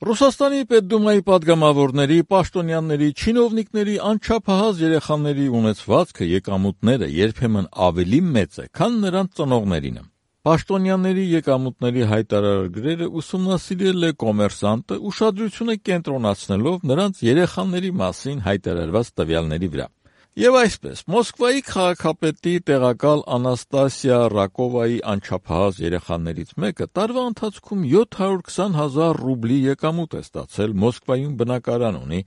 Ռուսաստանի Պետդումայի պատգամավորների, պաշտոնյաների, չինովնիկների, անչափահաս երեխաների ունեցվածքը, եկամուտները երբեմն ավելի մեծ է, քան նրանց ծնողներինը։ Պաշտոնյաների եկամուտների հայտարարագրերը ուսումնասիրել է «Կոմերսանտը», ուշադրությունը կենտրոնացնելով նրանց երեխաների մասին հայտարարված տվյալների վրա։ Եվ այսպես, Մոսկվայի քաղաքապետի տեղակալ Անաստասիա Ռակովայի անչափահաս երեխաներից մեկը տարվա ընթացքում 720,000 ռուբլի եկամուտ է ստացել, Մոսկվայում բնակարան ունի։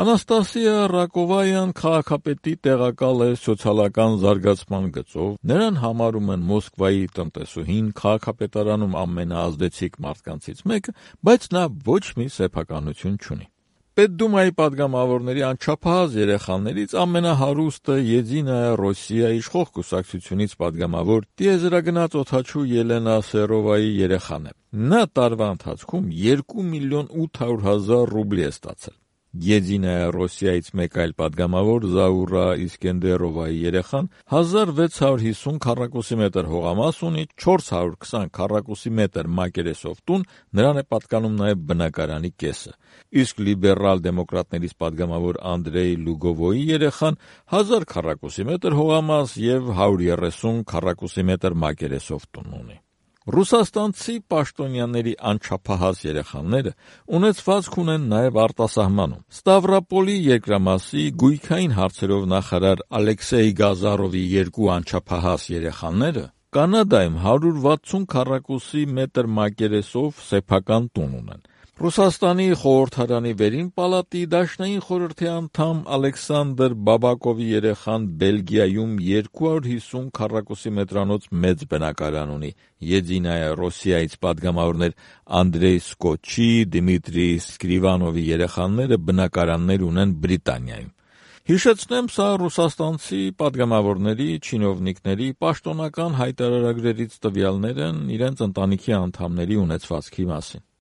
Անաստասիա Ռակովայան քաղաքապետի տեղակալ է սոցիալական զարգացման գծով, նրան համարում են Մոսկվայի տնտեսուհին, քաղաքապետարանում ամենաազդեցիկ մարդկանցից մեկը, բայց նա ոչ մի սեփականություն չունի։ Պետդումայի պատգամավորների անչափահաս երեխաներից ամենահարուստը Եդինայա Ռոսիա իշխող կուսակցությունից պատգամավոր տիեզերագնաց օդաչու Ելենա Սերովայի երեխան է։ Նա տարվա ընթացքում 2,800,000 ռուբլի է ստացել։ Եդինայա Ռոսիայից մեկ այլ պատգամավոր Զաուրա Իսկենդերովայի երեխան 1650 քառակուսի մետր հողամաս ունի, 420 քառակուսի մետր մակերեսով տուն, նրան է պատկանում նաև բնակարանի կեսը։ Իսկ լիբերալ դեմոկրատներից պատգամավոր Անդրեյ Լուգովոյի երեխան 1000 քառակուսի մետր հողամաս և 130 քառակուսի մետր մակերեսով տուն ունի։ Ռուսաստանցի պաշտոնյաների անչափահաս երեխաները ունեցվածք ունեն նաև արտասահմանում։ Ստավրոպոլի երկրամասի գույքային հարցերով նախարար Ալեքսեյ Գազարովի երկու անչափահաս երեխաները Կանադայում 160 քառակուսի մետր մակերեսով սեփական տուն ունեն։ Ռուսաստանի խորհրդարանի վերին պալատի դաշնային խորհրդի անդամ Ալեքսանդր Բաբակովի երեխան Բելգիայում 250 քառակուսի մետրանոց մեծ բնակարան ունի։ Եդինայա Ռոսիայից պատգամավորներ Անդրեյ Սկոչի, Դիմիտրի Սկրիվանովի երեխաները բնակարաններ ունեն Բրիտանիայում։ Հիշեցնեմ, սա ռուսաստանցի պատգամավորների, չինովնիկների պաշտոնական հայտարարագրերից տվյալներ են իրենց ընտանիքի անդամների ունեցվածքի մասին։